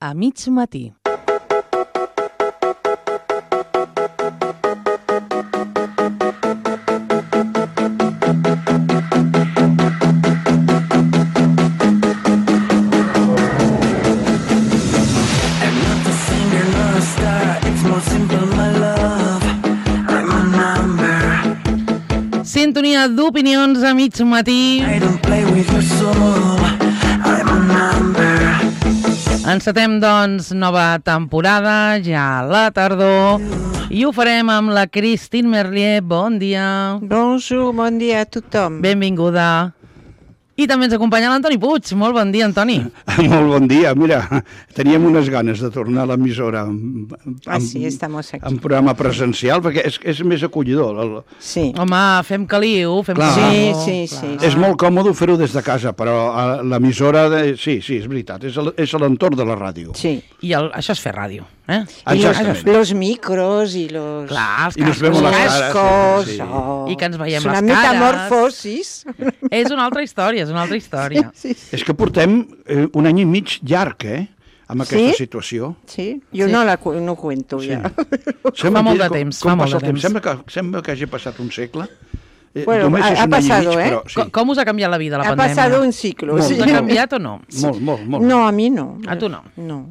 a mig matí. Sintonia d'opinions a mig matí. Encetem, doncs, nova temporada, ja a la tardor, i ho farem amb la Christine Merlier. Bon dia. Bonjour, bon dia a tothom. Benvinguda. I també ens acompanya l'Antoni Puig. Molt bon dia, Antoni. Molt bon dia. Mira, teníem unes ganes de tornar a l'emissora sí, estamos aquí. en programa presencial, perquè és més acollidor. Sí. Home, fem caliu, fem Clar. caliu. Sí. És molt còmode fer-ho des de casa, però l'emissora, sí, és veritat, és a l'entorn de la ràdio. Sí. I això és fer ràdio. Y los micros y los... Clar, I nos vemos las caras. cascos. Sí. I que ens veiem És una les cares. metamorfosis. És una altra història, és una altra història. Sí. És que portem un any i mig llarg, amb aquesta situació. Sí, jo Sí. no cuento Sí. ja. Fa molt de temps, fa molt de temps. Sembla que hagi passat un segle. Bueno, Només és ha un any i pasado, mig, però sí. Com us ha canviat la vida, la Ha pandèmia? pasado un ciclo. Molt. Sí. Us ha canviat o no? Molt. No, a mí no. A tu no? No.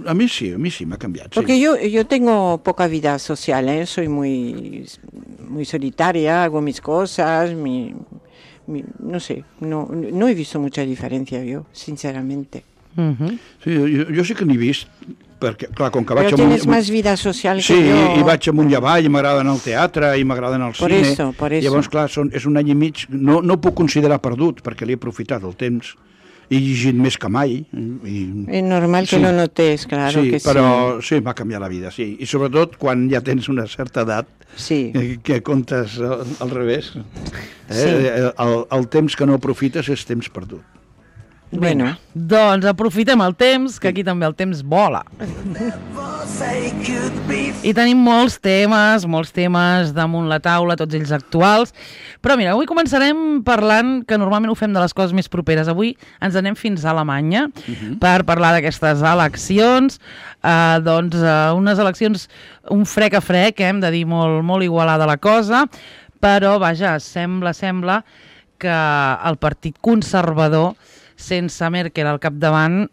A mi sí m'ha canviat. Sí. Porque yo tengo poca vida social, soy muy solitaria, hago mis cosas, no sé, no he visto mucha diferencia yo, sinceramente. Sí, jo sí que n'he vist, perquè, clar, com que vaig Però tienes más vida social sí, que jo. i vaig amunt i avall, i m'agrada anar al teatre, i m'agrada anar al Por cine. eso. Llavors, clar, és un any i mig, no ho puc considerar perdut, perquè l'he aprofitat el temps. He llegit més que mai. Es normal que sí. lo notes, claro sí, que sí. però sí, m'ha canviat la vida, sí. I sobretot quan ja tens una certa edat, Sí. que comptes al revés. Sí. El temps que no aprofites és temps perdut. Bueno. Doncs aprofitem el temps, que aquí també el temps vola. I tenim molts temes damunt la taula, tots ells actuals. Però mira, avui començarem parlant, que normalment ho fem de les coses més properes. Avui ens anem fins a Alemanya per parlar d'aquestes eleccions. Unes eleccions, un frec a frec, hem de dir, molt igualada la cosa, però, vaja, sembla que el Partit Conservador, sense Merkel al capdavant,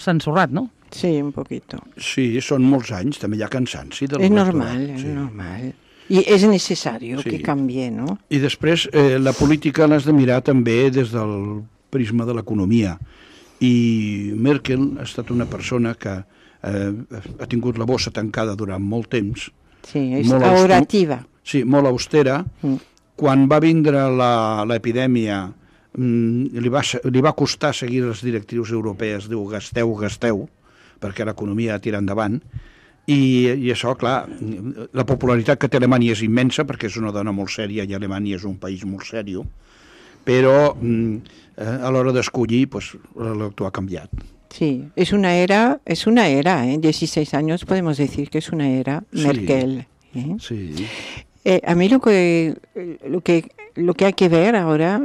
s'ha ensorrat, no? Sí, un poquito. Sí, són molts anys, també hi ha cansanci. Es normal, es normal. Y es necesario que cambie, ¿no? I després, la política l'has de mirar també des del prisma de l'economia. I Merkel ha estat una persona que ha tingut la bossa tancada durant molt temps. Sí, és ahorrativa. Sí, molt austera. Quan va vindre l'epidèmia, li va costar seguir les directrius europees, diu gasteu, perquè l'economia ha tirat endavant, i això, clar, la popularitat que té Alemanya és immensa, perquè és una dona molt sèria, i Alemanya és un país molt sèrio, però a l'hora d'escollir, l'actual ha canviat. Sí, es una era, 16 años podemos decir que es una era Merkel. Sí. A mí lo que hay que ver ahora,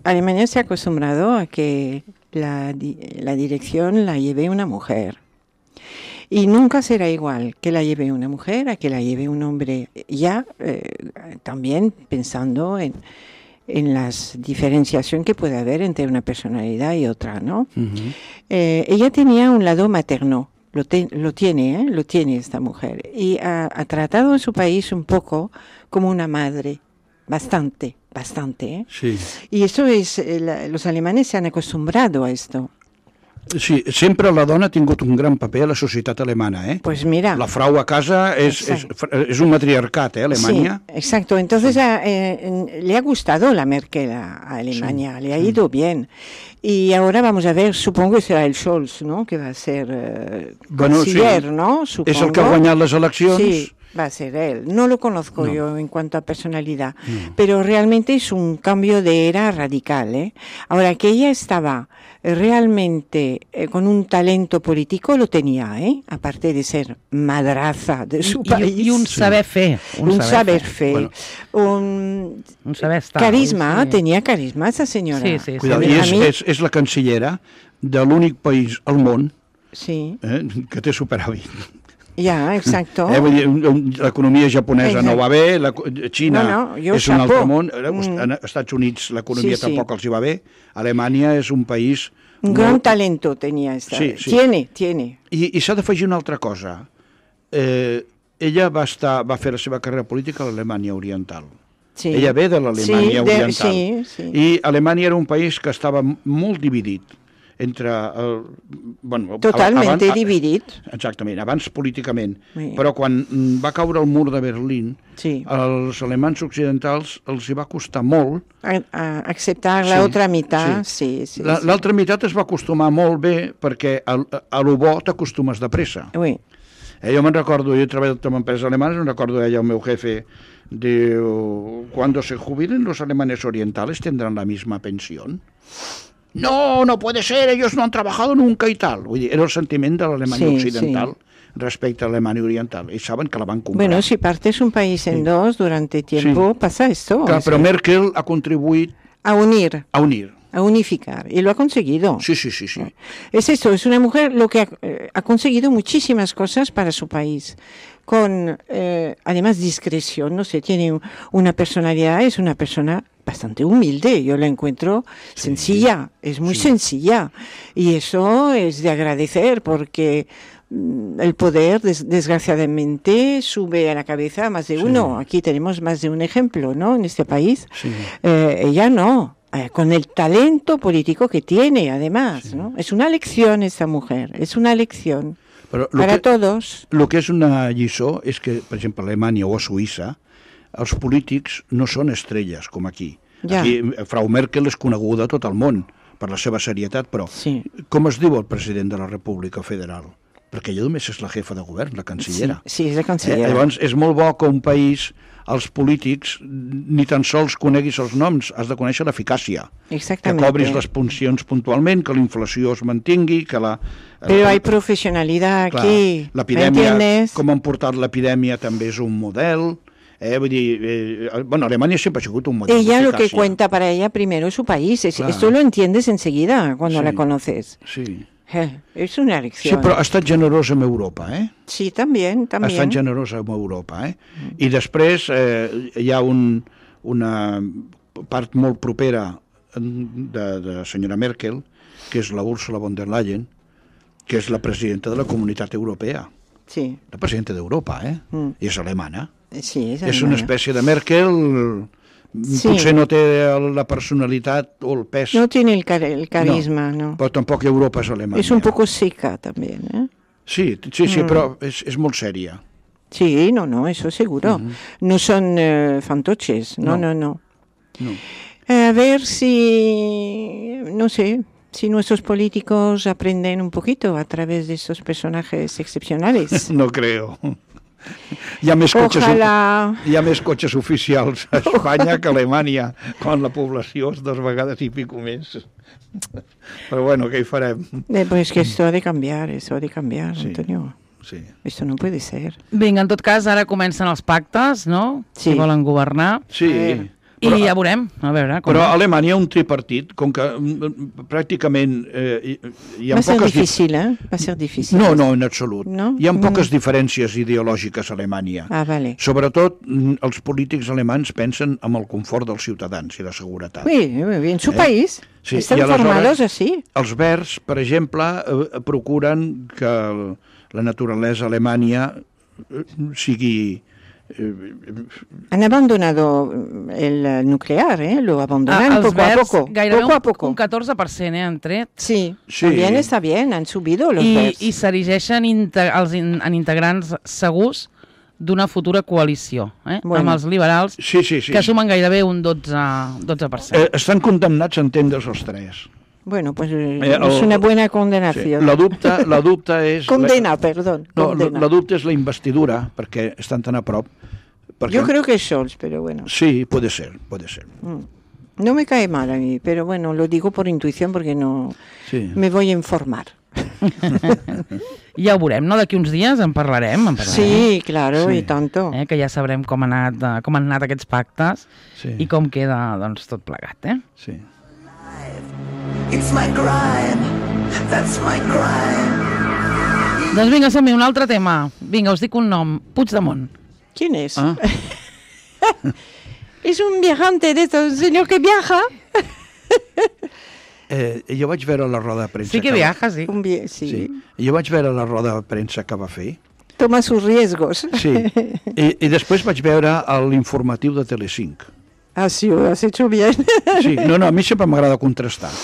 Alemania se ha acostumbrado a que la dirección la lleve una mujer. Y nunca será igual que la lleve una mujer a que la lleve un hombre. Ya también pensando en la diferenciación que puede haber entre una personalidad y otra, ¿no? Ella tenía un lado materno. Lo tiene esta mujer. Y ha tratado en su país un poco como una madre, bastante. Sí. Y eso los alemanes se han acostumbrado a esto. Sí, sempre la dona ha tingut un gran paper a la societat alemana, Pues mira. La frau a casa és un matriarcat, Alemanya. Sí, exacto. Entonces le ha gustado la Merkel a Alemania, le ha ido bien. Y ahora vamos a ver, supongo que será el Scholz, ¿no? Que va a ser canciller, ¿no? Supongo. És el que ha guanyat les eleccions. Sí, va a ser él. No lo conozco yo en cuanto a personalidad, pero realmente es un cambio de era radical, Ahora, que ella estaba realmente con un talento político, lo tenía, aparte de ser madraza de su país. I un saber fer. Un saber fer. Bueno. Un saber estar. Carisma, sí. Tenía carisma esa senyora. Sí. Cuidado, i és la cancellera de l'únic país al món Sí. Que té superàvit. Ja, exacto. Vull dir, l'economia japonesa no va bé, Xina és un altre món, als Estats Units l'economia tampoc els hi va bé, Alemanya és un país... Un gran talento tenia. Tiene. I s'ha d'afegir una altra cosa. Ella va fer la seva carrera política a l'Alemanya Oriental. Sí. Ella ve de l'Alemanya Oriental. I Alemanya era un país que estava molt dividit entre... Totalment dividit. Exactament, abans políticament. Sí. Però quan va caure el mur de Berlín, als alemanys occidentals els hi va costar molt... acceptar l'altra meitat, sí. L'altra meitat es va acostumar molt bé perquè a lo bo t'acostumes de pressa. Oui. Jo me'n recordo, jo he treballat en empreses alemanes, me'n recordo el meu jefe, diu, cuando se jubilen los alemanes orientales tendrán la misma pensión. No puede ser, ellos no han trabajado nunca y tal. Vull dir, era el sentiment de l'Alemanya occidental respecte a l'Alemanya oriental. I saben que la van comprar. Bueno, si partes un país en dos durante tiempo, pasa esto. Claro, pero Merkel ha contribuido a unir. A unificar, y lo ha conseguido. Sí. Es esto, es una mujer lo que ha conseguido muchísimas cosas para su país, con además discreción, no sé, tiene una personalidad, es una persona bastante humilde, yo la encuentro sencilla, es muy sencilla, y eso es de agradecer porque el poder, desgraciadamente, sube a la cabeza a más de uno. Aquí tenemos más de un ejemplo, ¿no?, en este país. Ella no. Con el talento político que tiene, además, ¿no? Es una lección esta mujer, es una lección para todos. Lo que és una lliçó és que, per exemple, a Alemanya o a Suïssa, els polítics no són estrelles, com aquí. Aquí, Frau Merkel és coneguda a tot el món per la seva serietat, però com es diu el president de la República Federal? Perquè ella només és la jefa de govern, la cancellera. Sí, és la cancellera. Llavors, és molt bo que un país, els polítics, ni tan sols coneguis els noms, has de conèixer l'eficàcia. Exactament. Que cobris les funcions puntualment, que la inflació es mantingui, que la... Però hay professionalitat aquí, ¿m'entiendes? Com han portat l'epidèmia també és un model... Vull dir, Alemania siempre ha sigut un modelo. Ella lo que cuenta para ella primero es su país. Esto lo entiendes enseguida cuando la conoces. Sí. És una lecció. Sí, però ha estat generosa amb Europa, Sí, també. Ha estat generosa amb Europa, I després hi ha una part molt propera de la senyora Merkel, que és la Ursula von der Leyen, que és la presidenta de la Comunitat Europea. Sí. La presidenta d'Europa, I és alemana. Sí, és una espècie de Merkel... Potser no té la personalitat o el pes. No tiene el carisma, no. Però tampoc Europa és Alemanya. És un poco seca, també, Sí, però és molt sèria. Sí, no, eso seguro. No son fantoches, no. A ver si, no sé, si nuestros políticos aprenden un poquito a través de estos personajes excepcionales. No creo. Hi ha més cotxes oficials a Espanya que a Alemanya, quan la població és 2 vegades i pico més. Però bueno, què hi farem? Pues que esto ha de cambiar, Antonio. Sí. Esto no puede ser. Vinga, en tot cas, ara comencen els pactes, no? Sí. Si volen governar. Sí. I ja veurem, a veure. Però a Alemanya un tripartit, com que pràcticament hi ha poques... Va ser difícil. No, en absolut. No? Hi ha poques diferències ideològiques a Alemanya. Vale. Sobretot, els polítics alemans pensen en el confort dels ciutadans i la seguretat. Sí, en su país. Sí. Estan formados així. Els verds, per exemple, procuren que la naturalesa a Alemanya sigui... Han abandonado el nuclear, lo abandonan poco a poco. Gairebé un 14% han tret. Sí, también está bien, han subido los verds. I s'erigeixen en integrants segurs d'una futura coalició, amb els liberals, que sumen gairebé un 12%. Estan condemnats a entendre's els 3. Bueno, pues es una buena condenación. Sí. La dubte és... Perdón. La dubte és la investidura, perquè estan tan a prop. Yo creo que es Scholz, pero bueno. Sí, puede ser. No me cae mal a mí, pero bueno, lo digo por intuición porque no me voy a informar. Ja ho veurem, no? D'aquí uns dies en parlarem. Sí, claro, y tanto. Que ja sabrem com han anat aquests pactes i com queda doncs, tot plegat, Sí. It's my crime, that's my crime. Doncs vinga, som-hi, un altre tema. Vinga, us dic un nom. Puigdemont. ¿Quién es? Es un viajante de estos, un señor que viaja. Jo vaig veure la roda de premsa. Sí que viaja, sí. Sí. Jo vaig veure la roda de premsa que va fer. Toma sus riesgos. Sí. I després vaig veure l'informatiu de Telecinc. Ah, sí, ho has hecho bien. Sí, no, a mi sempre m'agrada contrastar.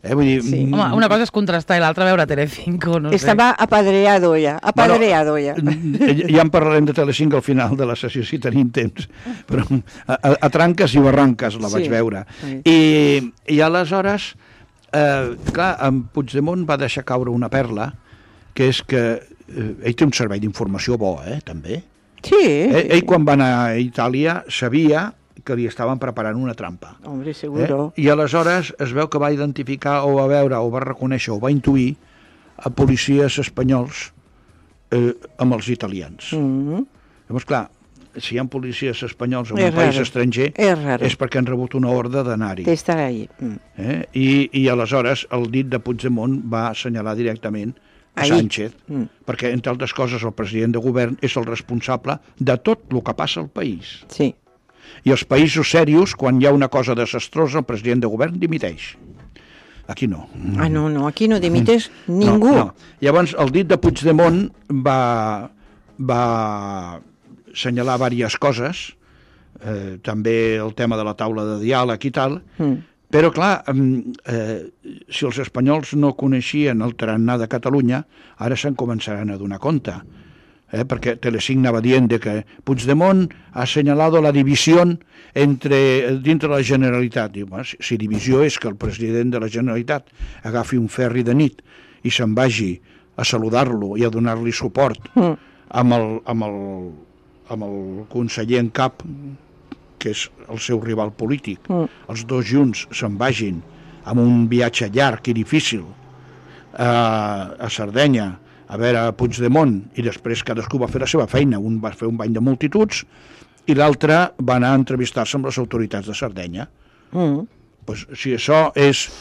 Vull dir, Sí. Home, una cosa és contrastar i l'altra veure Telecinco, no sé. Estaba apadreado ya. Ja en parlarem de Telecinc al final de la sessió, si tenim temps. Però a tranques i barranques la vaig veure. Sí. I aleshores, clar, en Puigdemont va deixar caure una perla, que és que ell té un servei d'informació bo, també. Sí. Ell, quan va anar a Itàlia, sabia que li estaven preparant una trampa. Hombre, seguro. I aleshores es veu que va identificar o va veure o va reconèixer o va intuir a policies espanyols amb els italians. Llavors, clar, si hi ha policies espanyols en un país estranger és perquè han rebut una ordre d'anar-hi. D'estar ahí. I aleshores el dit de Puigdemont va assenyalar directament a Sánchez, perquè, entre altres coses, el president de govern és el responsable de tot el que passa al país. Sí. I els països serios, quan hi ha una cosa desastrosa, el president de govern dimiteix. Aquí no. Ah, no, aquí no dimiteix ningú. No. Llavors, el dit de Puigdemont va assenyalar diverses coses, també el tema de la taula de diàleg i tal, però, clar, si els espanyols no coneixien el tarannà de Catalunya, ara se'n començaran a donar compte. Perquè Telecinc anava dient que Puigdemont ha assenyalado la divisió dintre la Generalitat. Diu, si divisió és que el president de la Generalitat agafi un ferri de nit i se'n vagi a saludar-lo i a donar-li suport amb el conseller en cap, que és el seu rival polític, els dos junts se'n vagin amb un viatge llarg i difícil a Sardenya a veure Puigdemont, i després cadascú va fer la seva feina. Un va fer un bany de multituds i l'altre va anar a entrevistar-se amb les autoritats de Sardenya. Pues, si això és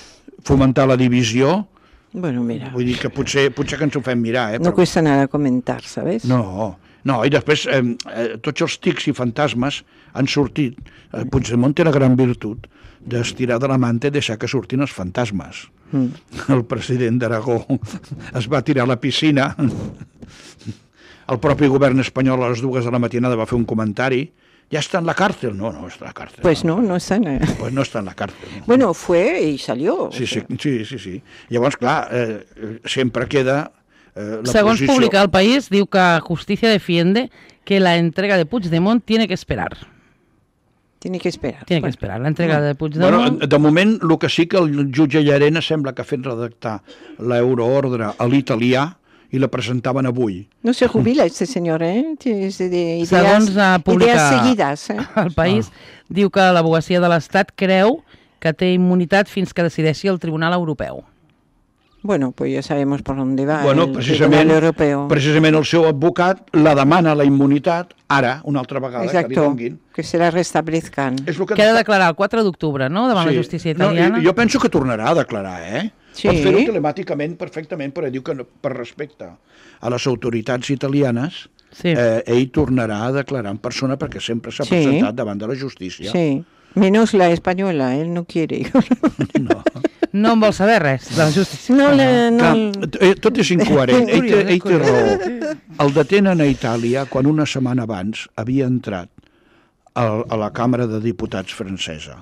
fomentar la divisió, bueno, mira, vull dir que potser que ens ho fem mirar. No cuesta nada comentar, ¿sabes? No, i després tots els tics i fantasmes han sortit. Puigdemont té la gran virtut d'estirar de la manta i deixar que surtin els fantasmes. El president d'Aragó es va tirar a la piscina. El propi govern espanyol a les 2 de la matinada va fer un comentari. ¿Ya está en la cárcel? No está en la cárcel. Pues no está en la... Pues no está en la cárcel. No. Bueno, fue y salió. Sí. Llavors, clar, sempre queda la Segons posició... publica El País, diu que Justicia defiende que la entrega de Puigdemont tiene que esperar. Tiene que esperar. Tiene que esperar la entrega de Puigdemont. Bueno, de moment, el que sí que el jutge Llarena sembla que ha fet redactar l'euroordre a l'italià i la presentaven avui. No se jubila este señor, Segons publica idees seguides. El País, diu que l'advocacia de l'Estat creu que té immunitat fins que decideixi el Tribunal Europeu. Bueno, pues ya sabemos por dónde va el precisament, Tribunal Europeo. Precisament el seu advocat la demana la immunitat ara, una altra vegada, exacto, que li donguin. Que se la restablezcan. Que ha de declarar el 4 d'octubre, no?, davant la justícia italiana. Jo penso que tornarà a declarar, Sí. Pot fer-ho telemàticament perfectament, però diu que per respecte a les autoritats italianes, ell tornarà a declarar en persona perquè sempre s'ha presentat davant de la justícia. Sí, menos la espanyola, él no quiere. No en vol saber res de la justícia. Tot és incoherent. Ell té raó. El detenen a Itàlia quan una setmana abans havia entrat a la Càmera de Diputats francesa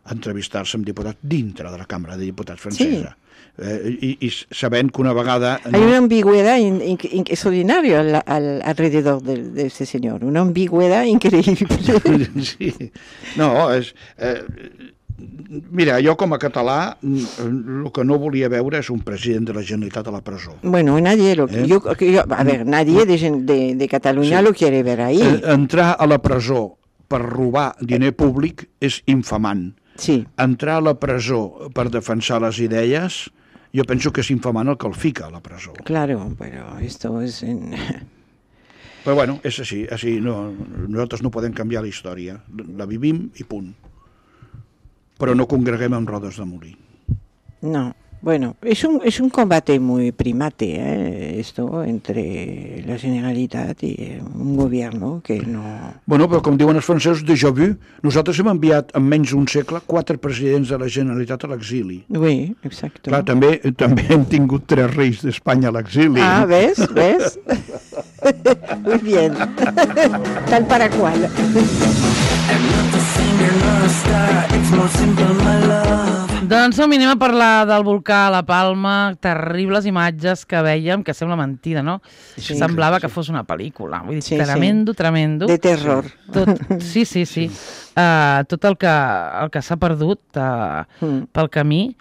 a entrevistar-se amb diputats dintre de la Càmera de Diputats francesa. Y sabent que una vegada... Hay una ambigüedad extraordinaria alrededor de este señor, una ambigüedad increíble. Sí. No, és... Mira, jo com a català el que no volia veure és un president de la Generalitat a la presó. Bueno, nadie nadie de Catalunya lo quiere ver ahí. Entrar a la presó per robar diner públic és infamant. Sí. Entrar a la presó per defensar les idees, jo penso que és infamant el que el fica a la presó. Claro, pero esto es... Però bueno, és així, nosaltres no podem canviar la història, la vivim i punt. Però no congreguem amb rodes de molí. No, Bueno, es un combate muy primate, esto, entre la Generalitat i un govern que no... Bueno, però com diuen els francesos, déjà vu, nosaltres hem enviat en menys d'un segle 4 presidents de la Generalitat a l'exili. Oui, exacte. Clar, també hem tingut 3 reis d'Espanya a l'exili. Ah, ¿ves? Muy bien. Tal para cual. Doncs som, anem a parlar del volcà a La Palma, terribles imatges que vèiem, que sembla mentida, no? Sí, semblava que fos una pel·lícula. Vull dir, Sí, tremendo. De terror. Sí. Tot el que s'ha perdut pel camí,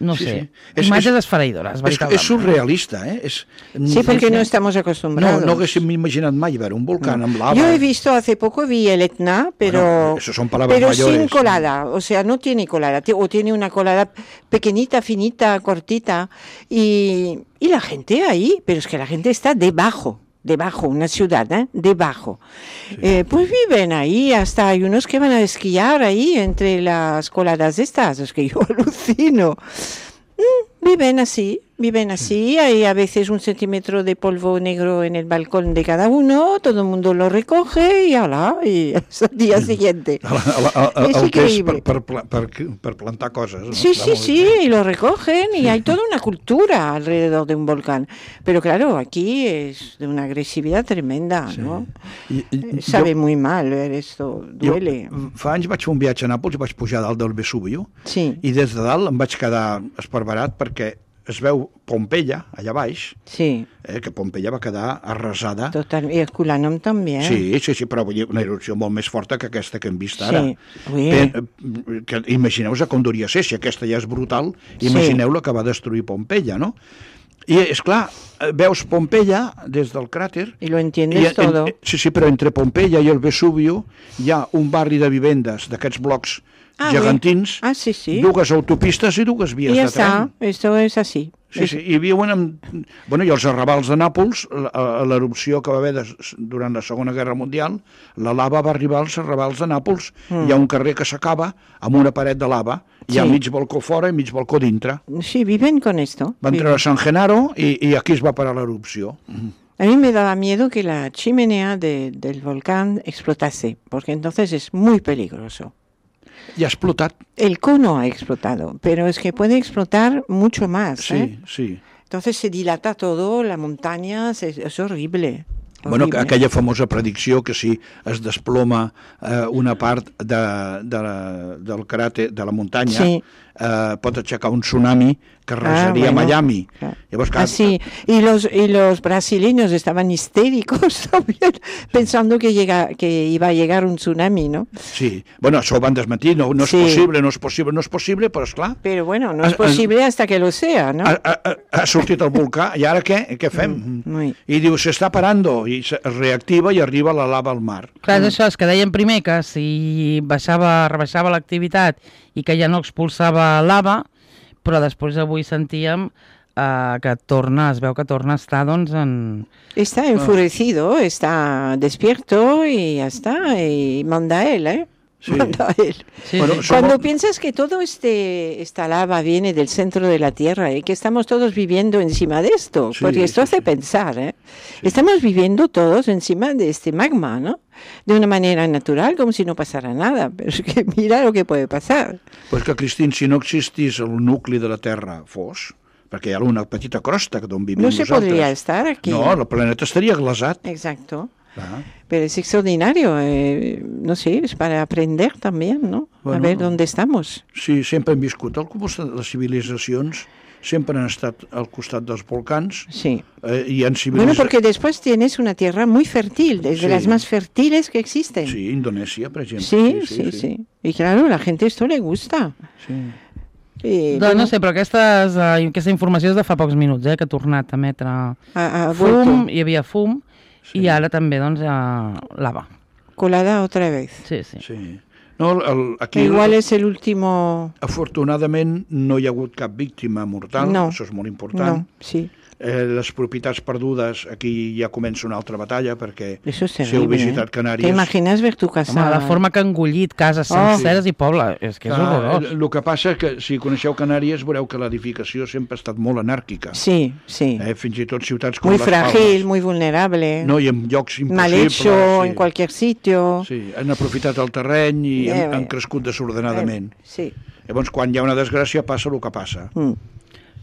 no sé, imatges esfereïdores, veritablement. És surrealista, Sí, porque no estamos acostumbrados. No haguéssim imaginat mai ver un volcán amb lava. Yo he visto hace poco, vi el Etna, pero, eso son palabras mayores. Sin colada, o sea, no tiene colada, o tiene una colada pequeñita, finita, cortita, y la gente ahí, pero es que la gente está debajo, una ciudad, debajo. Sí. Pues viven ahí, hasta hay unos que van a esquiar ahí entre las coladas estas, es que yo alucino. Viven así, hay a veces 1 centímetro de polvo negro en el balcón de cada uno, todo el mundo lo recoge y ala, y es el día siguiente. Es increíble. Per plantar cosas, ¿no? Sí, y lo recogen y hay toda una cultura alrededor de un volcán. Pero claro, aquí es de una agresividad tremenda, ¿no? Sabe muy mal ver esto, duele. Fa anys vaig fer un viatge a Nàpols i vaig pujar dalt del Vesubio, i des de dalt em vaig quedar esparverat perquè es veu Pompeia, allà baix, que Pompeia va quedar arrasada. Total, i el Culanum també. Sí, però una erupció molt més forta que aquesta que hem vist ara. Imagineu-vos com duria ser, si aquesta ja és brutal, imagineu la que va destruir Pompeia, no? I, esclar, veus Pompeia des del cràter... I lo entiendes todo. Sí, però entre Pompeia i el Vesubio hi ha un barri de vivendes d'aquests blocs gegantins, dues autopistes i dues vies de tren. Esto es así. Sí, i viuen i els arrabals de Nàpols, l'erupció que va haver durant la Segona Guerra Mundial, la lava va arribar als arrabals de Nàpols. Hi ha un carrer que s'acaba amb una paret de lava, hi ha mig balcó fora i mig balcó dintre. Sí, viven con esto. Van treure San Genaro i aquí es va parar l'erupció. A mí me daba miedo que la chimenea del volcán explotase, porque entonces es muy peligroso. Y ha explotado. El cono ha explotado, pero es que puede explotar mucho más. Sí. Entonces se dilata todo, la montaña, es horrible. Bueno, aquella famosa predicció que si es desploma una part del cràter, de la muntanya, pot aixecar un tsunami que arrasaría Miami. Así, y los brasileños estaban histéricos también, pensando que iba a llegar un tsunami, ¿no? Sí, bueno, això ho van desmentir, no és possible, però esclar... Però bueno, no és possible hasta que lo sea, ¿no? Ha sortit el volcà, i ara què? Què fem? I diu, s'està parando, i es reactiva i arriba la lava al mar. Clar, això és que deien primer que si rebaixava l'activitat i que ja no expulsava lava, però després avui sentíem que es veu que torna a estar, doncs, en... Está enfurecido, está despierto y ya está, y manda él, Sí. Sí. Bueno, cuando piensas que todo esta lava viene del centro de la Tierra y que estamos todos viviendo encima de esto, porque esto hace pensar, estamos viviendo todos encima de este magma, ¿no? De una manera natural, como si no pasara nada, pero es que mira lo que puede pasar. Pues que, Cristín, si no existís el nucli de la Terra perquè hi ha una petita crosta d'on vivim nosaltres. No se podria estar aquí. No, el planeta estaria glaçat. Exacto. Pero es extraordinario, no sé, es para aprender también, ¿no? Bueno, a ver dónde estamos. Sí, sempre hem viscut al costat de les civilitzacions, sempre han estat al costat dels volcans. Sí. Y han bueno, porque después tienes una tierra muy fértil, de las más fértiles que existen. Sí, Indonesia, por ejemplo. Sí. Y claro, a la gente esto le gusta. Sí. Doncs no sé, però aquesta informació és de fa pocs minuts, que ha tornat a emetre fum, hi havia fum, i ara també, doncs, lava. Colada otra vez. Sí. No, aquí igual és l'último... Afortunadament no hi ha hagut cap víctima mortal, això és molt important. No, sí. les propietats perdudes, aquí ja comença una altra batalla, perquè Eso es si heu terrible, visitat Canàries... ¿Te imaginas ver tu casa? Home, la forma que han engullit cases senceres i poble, és que és horrorós. El que passa és que si coneixeu Canàries veureu que l'edificació sempre ha estat molt anàrquica. Sí, sí. Fins i tot ciutats com Muy les frágil, Palmes. muy vulnerable. No, i en llocs Mal impossibles. hecho en cualquier sitio. Sí, han aprofitat el terreny i han crescut desordenadament. Sí. Llavors, quan hi ha una desgràcia, passa el que passa.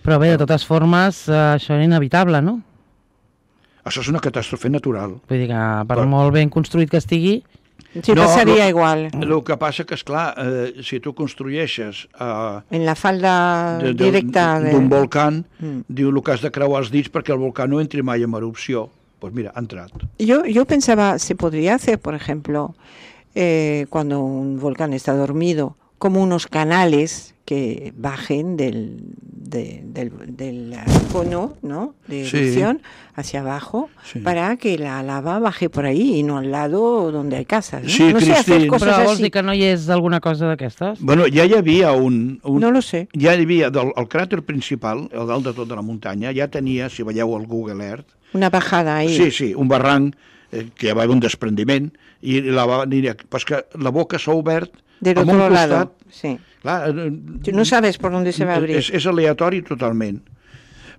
Però bé, de totes formes, això era inevitable, no? Això és una catàstrofe natural. Vull dir que per molt ben construït que estigui... Sí, pasaría igual. El que passa que, esclar, si tu construeixes en la falda directa d'un volcà, diu el que has de creuar els dits perquè el volcà no entri mai en erupció. Pues mira, ha entrat. Yo pensaba, se podría hacer, por ejemplo, cuando un volcán está dormido, como unos canales que bajen del cono, ¿no?, de erupción hacia abajo, para que la lava baje por ahí y no al lado donde hay casas, ¿no? Sí, no sé, hacer cosas Però vols así. dir que no hi és alguna cosa d'aquestes? Bueno, ja hi havia No lo sé. Ja hi havia, el cràter principal, el dalt de tota la muntanya, ja tenia, si veieu el Google Earth... Una bajada ahí. Sí, un barranc que va haver un desprendiment, i pues que la boca s'ha obert del amb otro un costat... lado, sí. Clar, Tú no sabes por dónde se va a abrir. És aleatori totalment.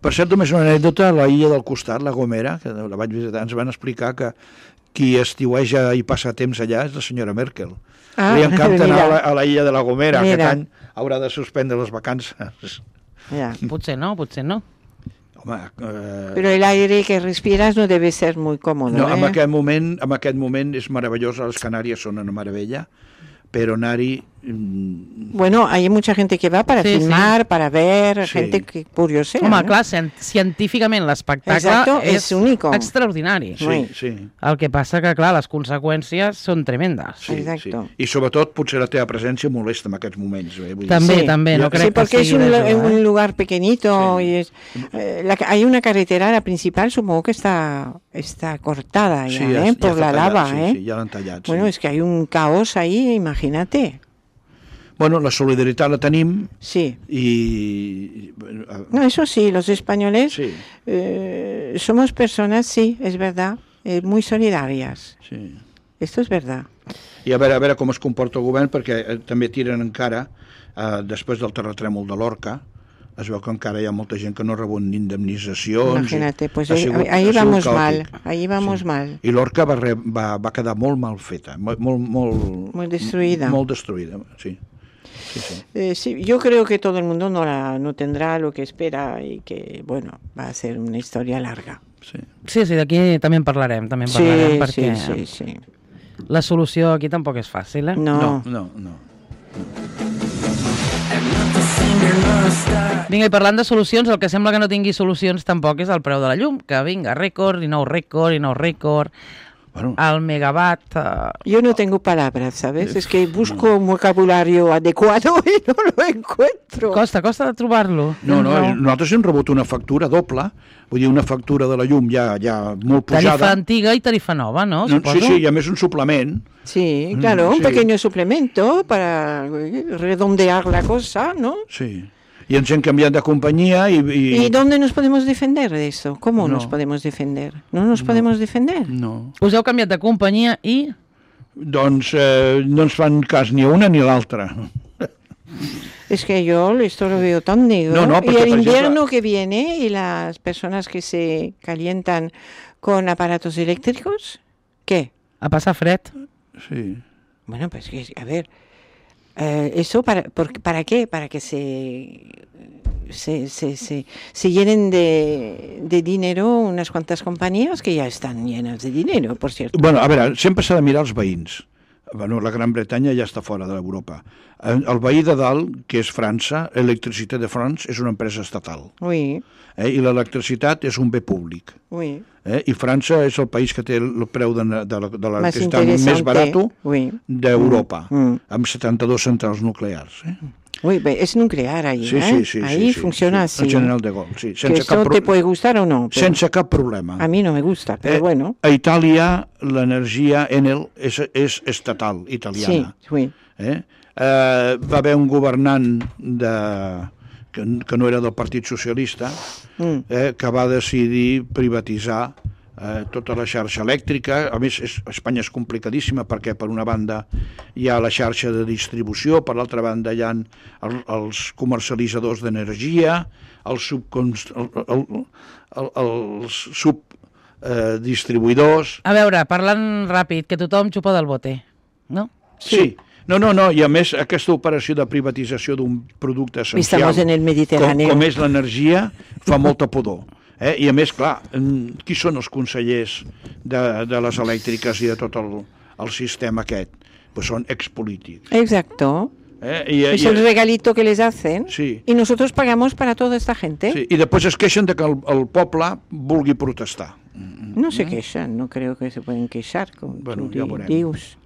Per cert, només una anècdota, la illa del costat, la Gomera, que la vaig visitar, ens van explicar que qui estiueja i passa temps allà és la senyora Merkel. Li encanta anar a la illa de la Gomera, aquest any haurà de suspendre les vacances. Ja. Potser no. Home, Però el aire que respiras no debe ser muy cómodo. No, en aquest moment és meravellós, les Canàries són una meravella, però anar-hi... Bueno, hay mucha gente que va para filmar, para ver, gente que curiosea. Home, clar, científicament l'espectacle és único. Extraordinari. Sí. El que passa que, clar, les conseqüències són tremendes. Sí. I sobretot potser la teva presència molesta en aquests moments. També, no crec que porque sigui es un lugar pequeñito y hay una carretera, la principal, supongo que está cortada ya, por la lava. Sí, ya la han tallat. Bueno, es que hay un caos ahí, imagínate. Bueno, la solidaritat la tenim. Sí. Y... No, eso sí, los españoles somos personas, sí, es verdad, muy solidarias. Sí. Esto es verdad. I a veure com es comporta el govern, perquè també tiren encara, després del terratrèmol de l'Orca, es veu que encara hi ha molta gent que no rebut ni indemnitzacions. Imagínate, pues ahí vamos mal. I l'Orca va quedar molt mal feta, molt destruïda. Molt destruïda, sí. Sí, yo creo que todo el mundo no tendrá lo que espera y que, bueno, va a ser una historia larga. Sí, d'aquí també en parlarem, perquè sí. La solució aquí tampoc és fàcil, eh? No. Vinga, i parlant de solucions, el que sembla que no tingui solucions tampoc és el preu de la llum, que vinga, rècord, i nou rècord, al megawatt... Yo no tengo palabras, ¿sabes? Es que busco un vocabulario adecuado y no lo encuentro. Costa de trobar-lo. No, nosaltres hem rebut una factura doble, vull dir, una factura de la llum ja molt pujada. Tarifa antiga i tarifa nova, no? Sí, i a més un suplement. Sí, claro, un pequeño suplemento para redondear la cosa, ¿no? Sí. Y ens hem canviat de companyia ¿Y dónde nos podemos defender de eso? ¿Cómo nos podemos defender? ¿No nos podemos defender? No. Us heu canviat de companyia i... Doncs no ens fan cas ni una ni l'altra. Es que yo esto lo veo tan negro. No, y el invierno que viene y las personas que se calientan con aparatos eléctricos, ¿qué? A passar fred. Sí. Bueno, pues a ver... ¿Eso para qué? Para que se llenen de dinero unas cuantas compañías que ya están llenas de dinero, por cierto. Bueno, a veure, sempre s'ha de mirar els veïns. Bueno, la Gran Bretanya ja està fora d'Europa. El veí de dalt, que és França, Electricité de France, és una empresa estatal. Oui. I l'electricitat és un bé públic. Oui. I França és el país que té el preu de l'electricitat més barat d'Europa, amb 72 centrals nuclears. Uy, es nuclear ahí, sí, ahí funciona así. El General de Gaulle, sí. Que eso te puede gustar o no. Sense cap problema. A mí no me gusta, pero bueno. A Itàlia l'energia Enel és estatal, italiana. Sí, sí. Va haver un governant que no era del Partit Socialista, que va decidir privatitzar tota la xarxa elèctrica. A més, Espanya és complicadíssima perquè per una banda hi ha la xarxa de distribució, per l'altra banda hi ha els comercialitzadors d'energia, els subdistribuïdors... A veure, parlant ràpid, que tothom xupa del bote, no? Sí. No, i a més aquesta operació de privatització d'un producte essencial en el Mediterráneo. Com és l'energia fa molta pudor. I a més, clar, qui són els consellers de les elèctriques i de tot el sistema aquest? Pues són expolítics. Exacto. Es el regalito que les hacen, sí. Y nosotros pagamos para toda esta gente. Sí. I després es queixen de que el poble vulgui protestar. No se queixan, no creo que se pueden queixar. Bueno, ja veurem. Dius.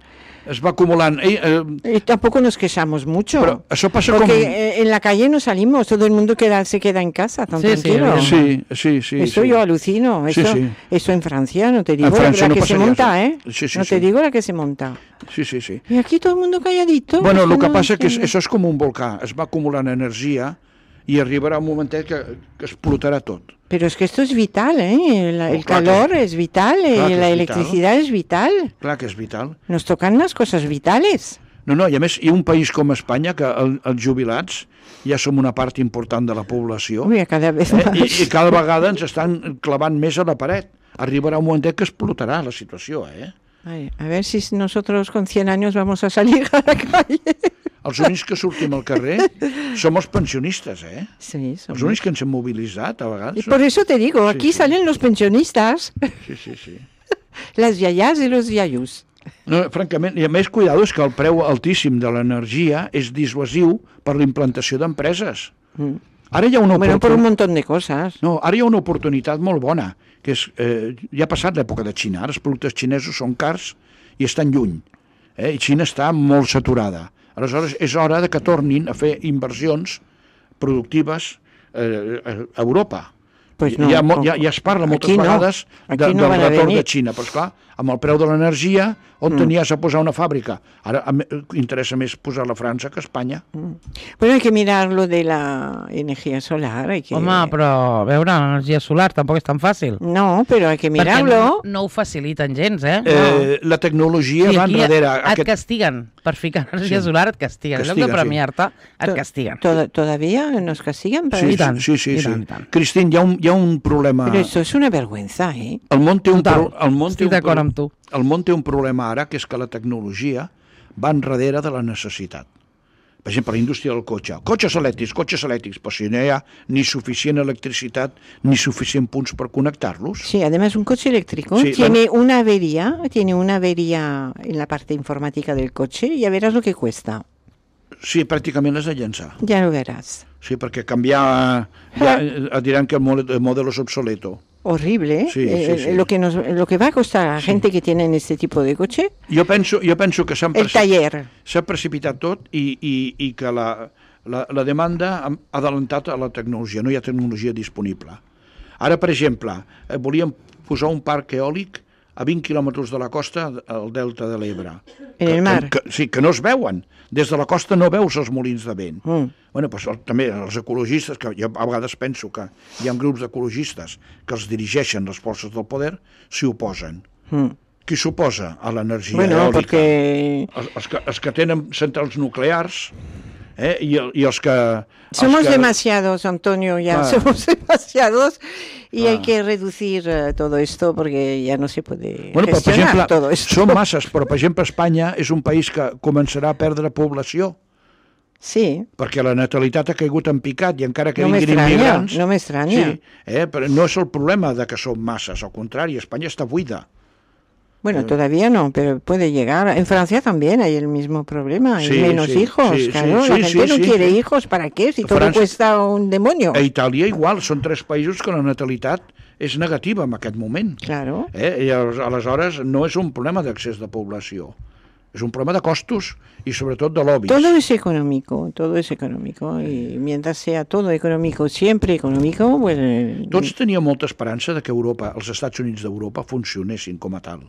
Es va acumulant... Y tampoco nos quejamos mucho. Pero eso pasa porque en la calle no salimos, todo el mundo se queda en casa, tan tranquilo. Sí. Eso yo alucino. Eso en Francia, no te digo Francia la no que se monta, ¿eh? Sí, no te digo la que se monta. Sí. Y aquí todo el mundo calladito. Bueno, lo que passa que això és com un volcà, es va acumulant energia i arribarà un momentet que explotarà tot. Pero es que esto es vital, ¿eh? El calor es vital, la electricidad es vital. Clar que és vital. Nos tocan las cosas vitales. No, i a més, hi ha un país com Espanya que els jubilats ja som una part important de la població. Uy, cada vez más. I cada vegada ens estan clavant més a la paret. Arribarà un momentet que explotarà la situació, Ay, a ver si nosotros con 100 años vamos a salir a la calle. Els únics que sortim al carrer som els pensionistes, Sí, somos. Els únics que ens hem mobilitzat, a vegades. Y por eso te digo, aquí salen los pensionistas. Sí. Las yayas y los yayus. No, francament, i a més, cuidado, és que el preu altíssim de l'energia és dissuasiu per la implantació d'empreses. Ara hi ha una Bueno, por un montón de cosas. No, ara hi ha una oportunitat molt bona, que és, ja ha passat l'època de Xina, ara els productes xinesos són cars i estan lluny, i Xina està molt saturada. Aleshores, és hora de que tornin a fer inversions productives a Europa. Pues no, ja es parla moltes vegades del retorn de Xina, però esclar, amb el preu de l'energia, on tenies a posar una fàbrica? Ara interessa més posar-la a França que a Espanya. Bueno, hay que mirar lo de la energía solar. Home, però a veure, l'energia solar tampoc és tan fàcil. No, però hay que mirarlo. Perquè no ho faciliten gens, La tecnologia va enrere. Et castiguen per ficar energia solar, et castiguen. En lloc de premiar-te, et castiguen. ¿Todavía nos castigan? Sí. Cristín, hi ha un problema... Pero eso es una vergüenza, ¿eh? El món té Estic d'acord amb tu. El món té un problema ara, que és que la tecnologia va enrere de la necessitat. Per exemple, la indústria del cotxe. Cotxes elèctrics, però si no hi ha ni suficient electricitat ni suficient punts per connectar-los. Sí, además un coche eléctrico tiene una avería en la parte informática del coche, ya verás lo que cuesta. Sí, pràcticament és de llençar. Ja lo verás. Sí, perquè canviar... diran que el modelo es obsoleto. Horrible, ¿eh? Sí. Lo que va a costar a la gente que tienen este tipo de coche. Jo penso que s'ha precipitat tot i que la demanda ha adelantat a la tecnologia, no hi ha tecnologia disponible. Ara, per exemple, volíem posar un parc eòlic a 20 quilòmetres de la costa al delta de l'Ebre. En el mar. Que no es veuen. Des de la costa no veus els molins de vent. Bueno, pues, també els ecologistes, que jo a vegades penso que hi ha grups d'ecologistes que els dirigeixen les forces del poder, s'hi oposen. Qui s'oposa a l'energia eòlica? Porque... Els que tenen centrals nuclears i els que... Somos demasiados, Antonio, somos demasiados y hay que reducir todo esto porque ya no se puede gestionar todo esto. Són masses, però per exemple Espanya és un país que començarà a perdre població. Sí. Perquè la natalitat ha caigut en picat i encara que vinguin immigrants... No m'estranya. Sí, però no és el problema de que som masses, al contrari, Espanya està buida. Bueno, todavía no, pero puede llegar. En Francia también hay el mismo problema, hay menos hijos. Claro, la gente no quiere hijos, ¿para qué? Si todo cuesta un demonio. A Itàlia igual, són 3 països que la natalitat és negativa en aquest moment. Claro. I aleshores no és un problema d'accés de població. Es un problema de costos y sobre todo de lobbies. Todo es económico. Y mientras sea todo económico, siempre económico, pues... Tots teníem molta esperança de que Europa, els Estats Units d'Europa funcionessin com a tal.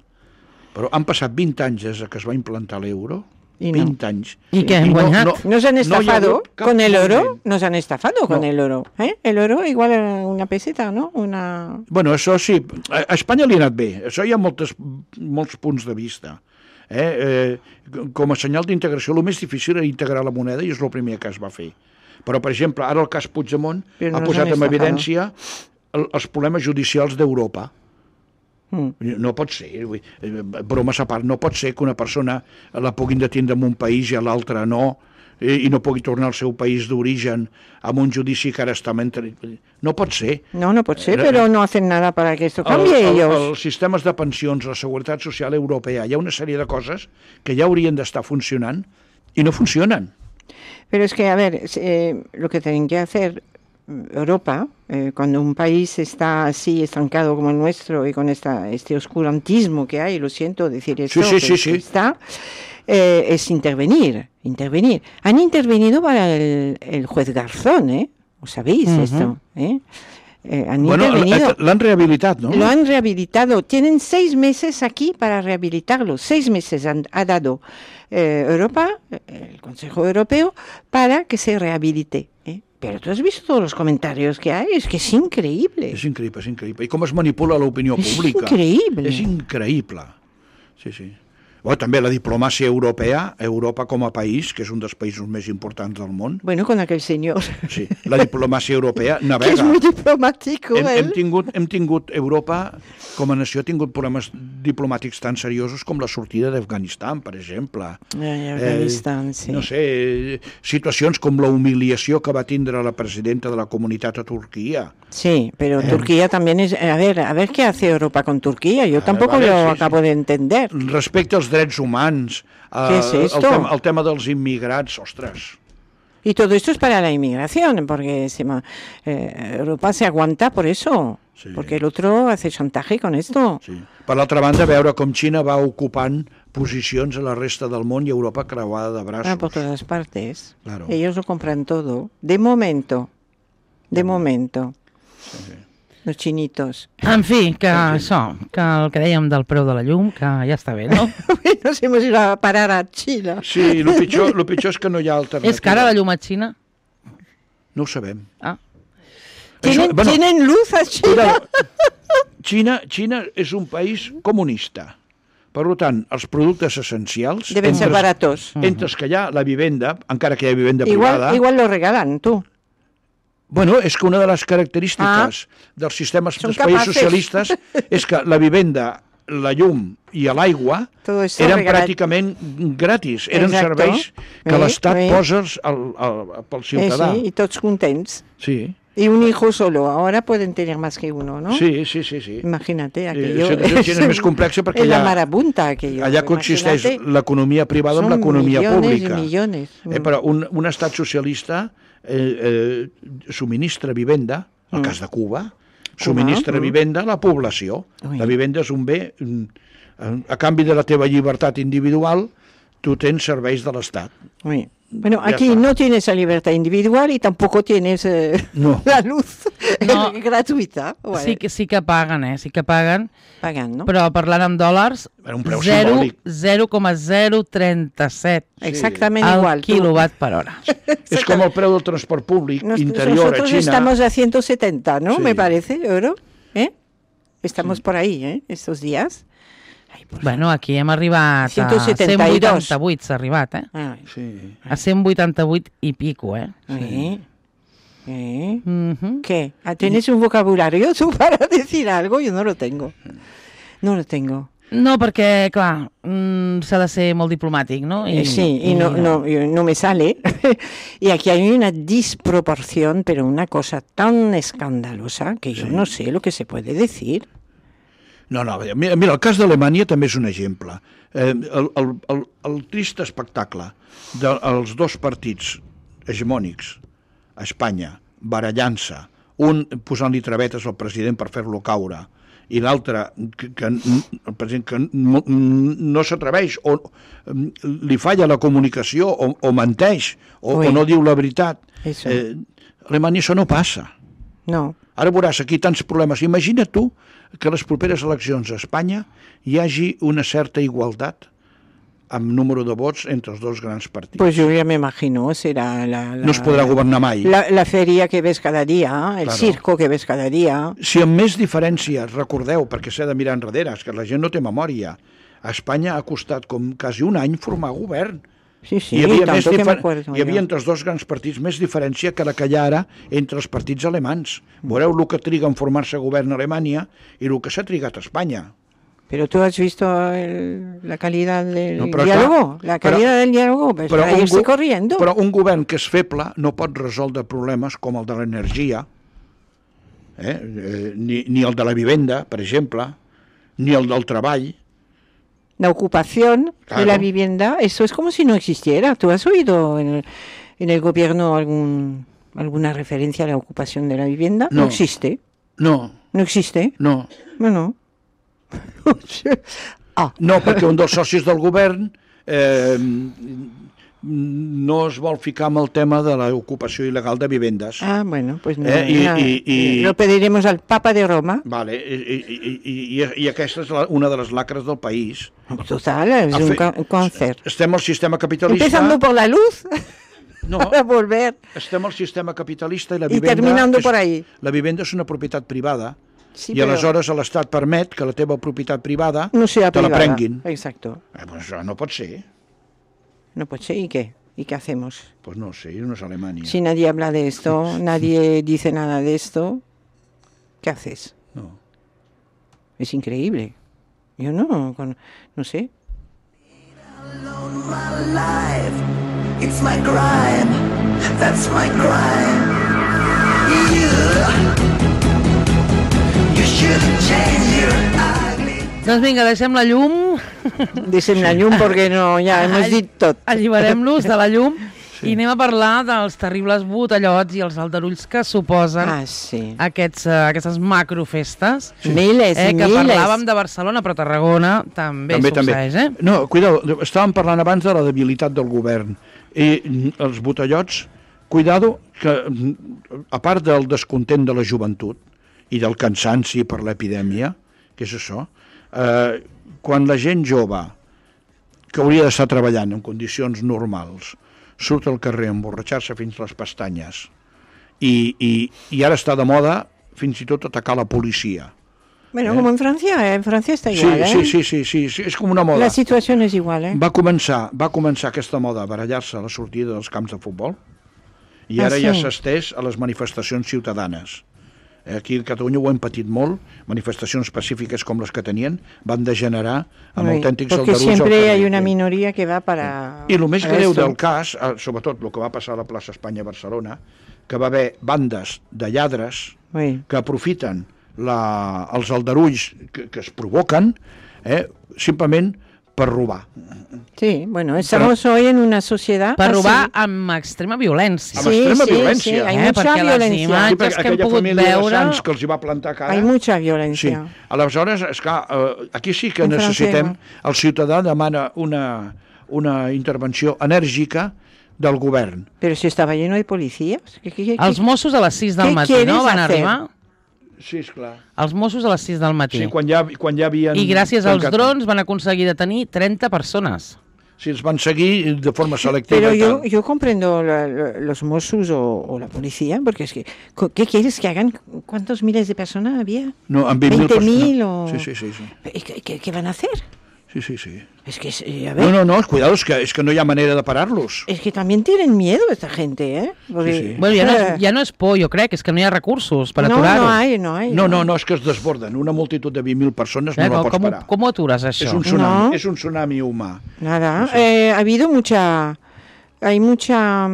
Però han passat 20 anys des que es va implantar l'euro Y no. 20 anys. ¿Y qué han guanyat? Nos han estafado con el oro, moviment. nos han estafado con el oro. El oro igual a una peseta, ¿no? Bueno, això sí, a Espanya li ha anat bé, això hi ha molts punts de vista. Com a senyal d'integració, el més difícil era integrar la moneda i és el primer que es va fer. Però, per exemple, ara el cas Puigdemont ha posat en evidència els problemes judicials d'Europa. No pot ser, bromes a part, no pot ser que una persona la puguin detindre en un país i a l'altre no, i no pugui tornar al seu país d'origen amb un judici que ara està no pot ser. No pot ser, però no hacen nada para que esto cambie ellos. Els sistemes de pensions, la seguretat social europea, hi ha una sèrie de coses que ja haurien d'estar funcionant i no funcionen. Pero es que, a ver, lo que tienen que hacer Europa, cuando un país está así estancado como el nuestro y con este oscurantismo que hay, lo siento decir esto, sí. Está, es intervenir. Han intervenido para el juez Garzón, ¿Os sabéis esto? Intervenido. L'han rehabilitat, ¿no? Lo han rehabilitado. Tienen 6 meses aquí para rehabilitarlo. 6 meses ha dado Europa, el Consejo Europeo, para que se rehabilite. Pero tú has visto todos los comentarios que hay, es que es increíble. És increïble. I com es manipula l'opinió pública. És increïble. És increïble. Sí. Bueno, també la diplomàcia europea, Europa com a país, que és un dels països més importants del món. Bueno, con aquel señor. Sí, la diplomàcia europea navega. Que és molt diplomàtic, hem tingut Europa, com a nació, ha tingut problemes diplomàtics tan seriosos com la sortida d'Afganistan, per exemple. Afganistan, sí. No sé, situacions com la humiliació que va tindre la presidenta de la comunitat a Turquía. Sí, pero Turquía también es... A ver qué hace Europa con Turquía. Yo tampoco lo acabo de entender. Respecte als drets humans, ¿Qué es esto? el tema dels immigrants, ostres. Y todo esto es para la inmigración, porque Europa se aguanta por eso, Sí. porque el otro hace chantaje con esto. Sí. Per l'altra banda, veure com Xina va ocupant posicions a la resta del món i Europa creuada de braços. Por todas partes. Claro. Ellos lo compran todo. De momento. Sí. Los chinitos. En fi, que això, que el que dèiem del preu de la llum, que ja està bé, no? Nos hemos ido a parar a China. Sí, el pitjor és que no hi ha alternativa. És cara la llum a Xina? No ho sabem. Ah. ¿Tienen luz a China? Xina és un país comunista. Per tant, els productes essencials... Deben ser baratos. Entre els que hi ha la vivenda, encara que hi ha vivenda privada... Igual lo regalan, tú. Bueno, és que una de les característiques dels sistemes dels països socialistes és que la vivenda, la llum i l'aigua eren pràcticament gratis. Eren serveis que l'Estat posa pel ciutadà. Sí, i tots contents. Sí. Y un hijo solo, ahora pueden tener más que uno, ¿no? Sí. Imagínate, aquello és més complexa perquè la marabunta, aquello. Allà consisteix l'economia privada amb l'economia pública. Millones. Però un estat socialista subministra vivenda, el cas de Cuba, subministra vivenda a la població. La vivenda és un bé, a canvi de la teva llibertat individual, tu tens serveis de l'Estat. Bueno, aquí no tienes la libertad individual y tampoco tienes la luz gratuïta. Sí que paguen, sí que paguen. Paguen, no? Però parlant en dòlars, 0,037 exactament igual. Quilowatt per hora. És com el preu del transport públic interior a China. Nosotros estamos a 170, ¿no? Sí. Me parece, euro. Estamos por ahí, estos días. Bueno, aquí hem arribat 172. a 188, s'ha arribat, Sí. A 188 y pico, Sí. ¿Qué? ¿Tienes un vocabulario tú para decir algo? Yo no lo tengo. No, perquè, clar, s'ha de ser molt diplomàtic, no? No me sale. Y aquí hay una disproporción, pero una cosa tan escandalosa que yo no sé lo que se puede decir. No, mira, el cas d'Alemanya també és un exemple. El trist espectacle dels dos partits hegemònics a Espanya, barallant-se, un posant-li travetes al president per fer-lo caure, i l'altre, el president que no s'atreveix, o li falla la comunicació, o menteix, o no diu la veritat. A Alemanya això no passa. No. Ara veuràs aquí tants problemes. Imagina't tu que a les properes eleccions a Espanya hi hagi una certa igualtat amb número de vots entre els dos grans partits. Pues yo ya me imagino, será no es podrà governar mai. La feria que ves cada dia, el circo que ves cada dia. Si amb més diferències, recordeu, perquè s'ha de mirar enrere, és que la gent no té memòria, a Espanya ha costat com quasi un any formar govern. Sí, sí, hi havia, tanto que me acuerdo hi havia entre els dos grans partits més diferència que la que hi ha ara entre els partits alemans. Veureu el que triga en formar-se govern a Alemanya i el que s'ha trigat a Espanya. Pero tú has visto la calidad del No, diálogo, clar, la calidad del diálogo, pues para irse corriendo. Però un govern que és feble no pot resoldre problemes com el de l'energia, ni el de la vivenda, per exemple, ni el del treball. La ocupación de la vivienda, eso es como si no existiera. ¿Tú has oído en el gobierno alguna referencia a la ocupación de la vivienda? No existe. No. ¿No existe? No. Bueno. No, perquè un dels socis del govern no es vol ficar amb el tema de l'ocupació il·legal de vivendes. Bueno, pues no. Lo pediremos al Papa de Roma. Vale, i aquesta és una de les lacres del país. Total, es un cáncer. Estem al sistema capitalista... Empezando por la luz... No, para volver. Estem al sistema capitalista i la vivenda... I terminando por ahí. La vivenda és una propietat privada. Sí, i aleshores l'Estat permet que la teva propietat privada no sea te privada. La prenguin. Exacto. Pues això no pot ser. No puede ser, ¿y qué? ¿Y qué hacemos? Pues no sé, no es Alemania. Si nadie habla de esto, nadie dice nada de esto, ¿qué haces? No. Es increíble. Yo no sé. It's my crime, that's my crime. You should change your ugly. Doncs vinga, deixem la llum. Deixem la llum perquè no, ja hem dit tot. Alliberem-los de la llum i anem a parlar dels terribles botellots i els aldarulls que suposen aquestes macrofestes. Miles, que parlàvem de Barcelona, però Tarragona també succeeix. No, cuidado, estàvem parlant abans de la debilitat del govern. I els botellots, cuidado, que a part del descontent de la joventut i del cansanci per l'epidèmia, que és això, quan la gent jove, que hauria d'estar treballant en condicions normals, surt al carrer a emborratxar-se fins les pestanyes i ara està de moda fins i tot atacar la policia. Bueno, como en Francia está igual, Sí, és com una moda. La situació és igual, Va començar aquesta moda a barallar-se a la sortida dels camps de futbol i ara ja s'ha estès a les manifestacions ciutadanes. Aquí a Catalunya ho hem patit molt, manifestacions pacífiques com les que tenien van degenerar amb autèntics aldarulls al carrer. Porque siempre hay una minoría que va para... I el més greu del cas, sobretot el que va passar a la plaça Espanya a Barcelona, que va haver bandes de lladres que aprofiten els aldarulls que es provoquen simplement per robar. Sí, bueno, estamos hoy en una sociedad... Per robar amb extrema violència. Amb extrema violència. Sí, hay mucha violencia. Les imatges que hem pogut veure... Sants que els hi va plantar cara... Hay mucha violencia. Sí. Aleshores, esclar, aquí sí que necessitem... El ciutadà demana una intervenció enèrgica del govern. Pero si estava lleno de policías... Els Mossos a les 6 del matí, no? Van arribar... Sí, esclar. Els Mossos a les 6 del matí. Sí, quan ja havien... I gràcies als drons van aconseguir detenir 30 persones. Sí, els van seguir de forma selectiva. Pero yo comprendo los Mossos o la policía, porque es que, ¿qué quieres que hagan? ¿Cuántos miles de personas había? No, amb 20.000 o... Sí. ¿Qué van a hacer? Sí. Es que, a ver... No, cuidado, es que no hi ha manera de parar-los. Es que también tienen miedo esta gente, ¿eh? Porque... Sí. Bueno, ja no és por, jo crec, és que no hi ha recursos per aturar-ho. No hay. No, és que es desborden. Una multitud de 20.000 persones no la pots parar. ¿Cómo aturas això? És un tsunami humà. Nada, ha habido ha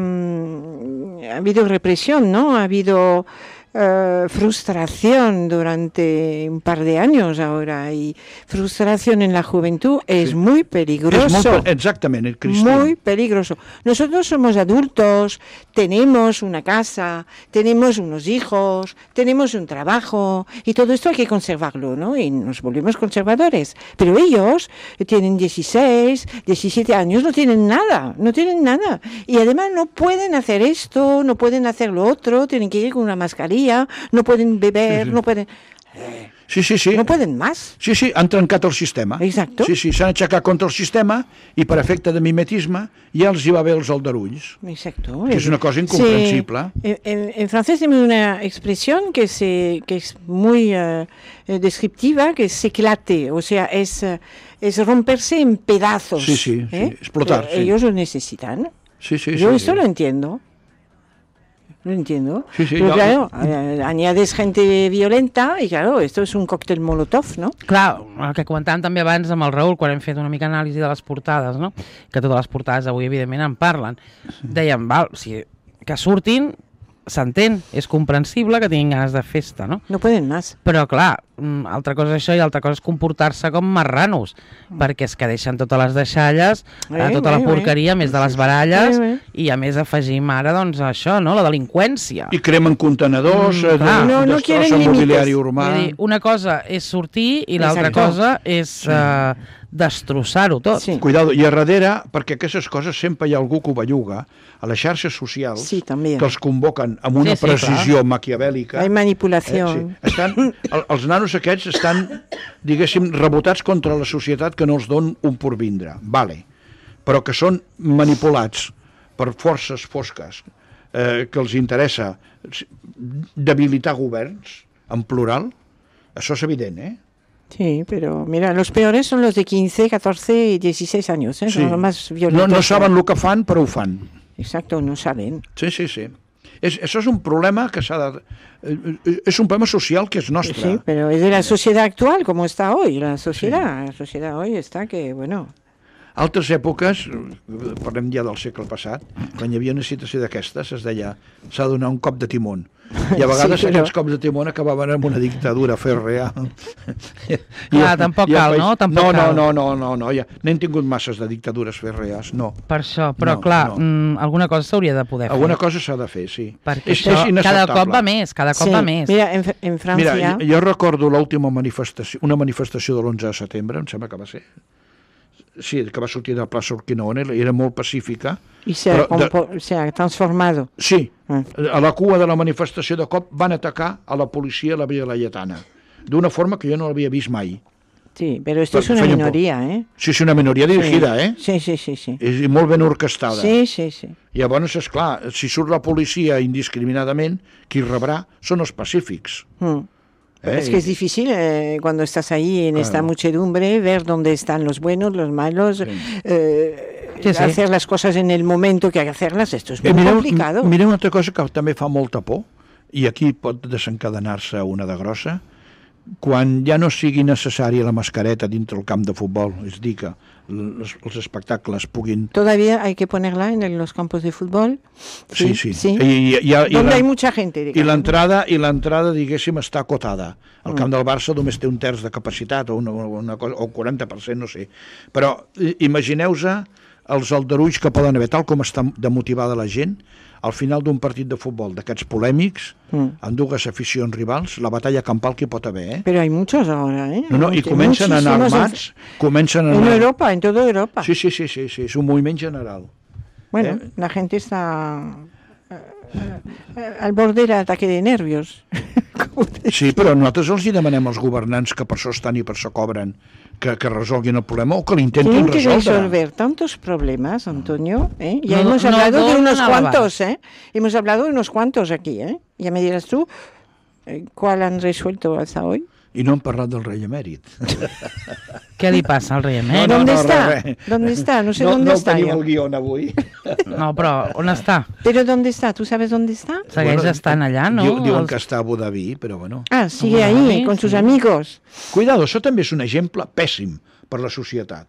habido represión, ¿no? Ha habido... frustración durante un par de años ahora y frustración en la juventud es muy peligroso. Exactamente, Cristina. Muy peligroso. Nosotros somos adultos, tenemos una casa, tenemos unos hijos, tenemos un trabajo y todo esto hay que conservarlo, ¿no? Y nos volvemos conservadores. Pero ellos tienen 16, 17 años, no tienen nada. Y además no pueden hacer esto, no pueden hacer lo otro, tienen que ir con una mascarilla, no pueden beber, no pueden... Sí, sí, sí. No pueden más. Sí, sí, han trencat el sistema. Exacto. Sí, sí, s'han aixecat contra el sistema i per efecte de mimetisme ja els hi va bé els aldarulls. Exacto. Que es una cosa incomprensible. En francés tenemos una expresión que es muy descriptiva, que es éclate, o sea, es romperse en pedazos. Sí, sí, sí, explotar. Sí. Ellos lo necesitan. Sí, sí, Yo sí, esto sí. lo entiendo. Lo entiendo. Sí, sí, Pero jo- claro, añades gente violenta y claro, esto es un cóctel molotov, ¿no? Clar, el que comentàvem també abans amb el Raül, quan hem fet una mica anàlisi de les portades, no? Que totes les portades avui, evidentment, en parlen. Dèiem, val, o sigui, que surtin, s'entén, és comprensible que tinguin ganes de festa, no? No pueden más. Però, clar, altra cosa és això i altra cosa és comportar-se com marranos, perquè és que deixen totes les deixalles, tota la porqueria, més de les baralles, i a més afegim ara, doncs, això, no?, la delinqüència. I cremen contenedors, clar. No quieren destrossen límites. mobiliari urbà. Vull dir, una cosa és sortir i l'altra Exacto. cosa és destrossar-ho tot. Sí. Cuidado, i a darrere, perquè aquestes coses sempre hi ha algú que ho belluga, a les xarxes socials, Sí, també. que els convoquen amb una Sí, sí, precisió maquiavèlica. Hay manipulación. Sí. Els nanos aquests estan, diguéssim, rebotats contra la societat que no els don un porvindre, vale. Però que són manipulats per forces fosques que els interessa debilitar governs, en plural, això és evident, eh? Sí, pero mira, los peores son los de 15, 14 y 16 años, ¿eh? Sí. Son los más violentos. No saben el que fan, però ho fan. Exacto, no saben. Sí, sí, sí. Això és un problema que s'ha de... és un problema social que és nostre. Sí, pero es de la sociedad actual, como está hoy. La sociedad hoy está que, bueno... Altres èpoques, parlem ja del segle passat, quan hi havia una situació d'aquestes, es deia s'ha de donar un cop de timón. I a vegades Sí, però- aquests cops de timón acabaven amb una dictadura fèrrea. Clar, tampoc cal, no? Tampoc cal. No, ja n'hem tingut masses de dictadures fèrrees, no. Per això, però No, clar, no. alguna cosa s'hauria de poder fer. Alguna cosa s'ha de fer, sí. Perquè És això cada inacceptable. cop va més, cada cop Sí, va més. mira, en Francia... Mira, jo recordo l'última manifestació, una manifestació de l'11 de setembre, em sembla que va ser. Sí, que va sortir de la plaça Urquinaona, era molt pacífica. y se ha transformado. Sí, Ah. a la cua de la manifestació de cop van atacar a la policia a la Via Laietana, d'una forma que jo no l'havia vist mai. Sí, pero esto es Pero una feien por- minoría, ¿eh? Sí, és una minoria dirigida, eh? Sí. És molt ben orquestada. Sí. Llavors, esclar, si surt la policia indiscriminadament, qui rebrà són els pacífics. Es que es difícil cuando estás ahí en esta muchedumbre ver dónde están los buenos, los malos, Sí. hacer las cosas en el momento que hay que hacerlas. Esto es muy complicado. Mireu una altra cosa que també fa molta por, i aquí pot desencadenar-se una de grossa, quan ja no sigui necessària la mascareta dintre el camp de futbol, és dir, que els espectacles puguin... Todavía hay que ponerla en los campos de fútbol. Sí. Donde hay mucha gente. I digamos. l'entrada, diguéssim, està acotada. El camp del Barça només té un terç de capacitat, o una cosa, o 40%, no sé. Però imagineu-vos els aldarulls que poden haver, tal com està demotivada la gent, al final d'un partit de futbol d'aquests polèmics, amb dues aficions rivals, la batalla campal que hi pot haver, eh? Pero hay muchos ahora, ¿eh? No, i comencen a anar armats, En Europa, en toda Europa. Sí, és un moviment general. Bueno, la gente está al borde del ataque de nervios. Sí, però nosaltres els hi demanem als governants que per això estan i per això cobren, que resolguin el problema o que l'intentin Tienen que resoldre. resolver tantos problemas, Antonio, ¿eh? Ya No- hemos no hablado de donan unos a la cuantos, ¿eh? Hemos hablado de unos cuantos aquí, ¿eh? Ya me dirás tú cuál han resuelto hasta hoy. I no hem parlat del rei emèrit. Què li passa al rei emèrit? ¿Dónde no, está? res. ¿Dónde está? No sé No dónde está. tenim yo. el guió avui. No, però on està? Pero ¿dónde está? ¿Tú sabes dónde está? Segueix estant allà, no? Diuen Els- que està a Abu Dhabi, però bueno. Ah, sigue Ah, ahí, sí, con sus sí. amigos. Cuidado, això també és un exemple pèssim per la societat.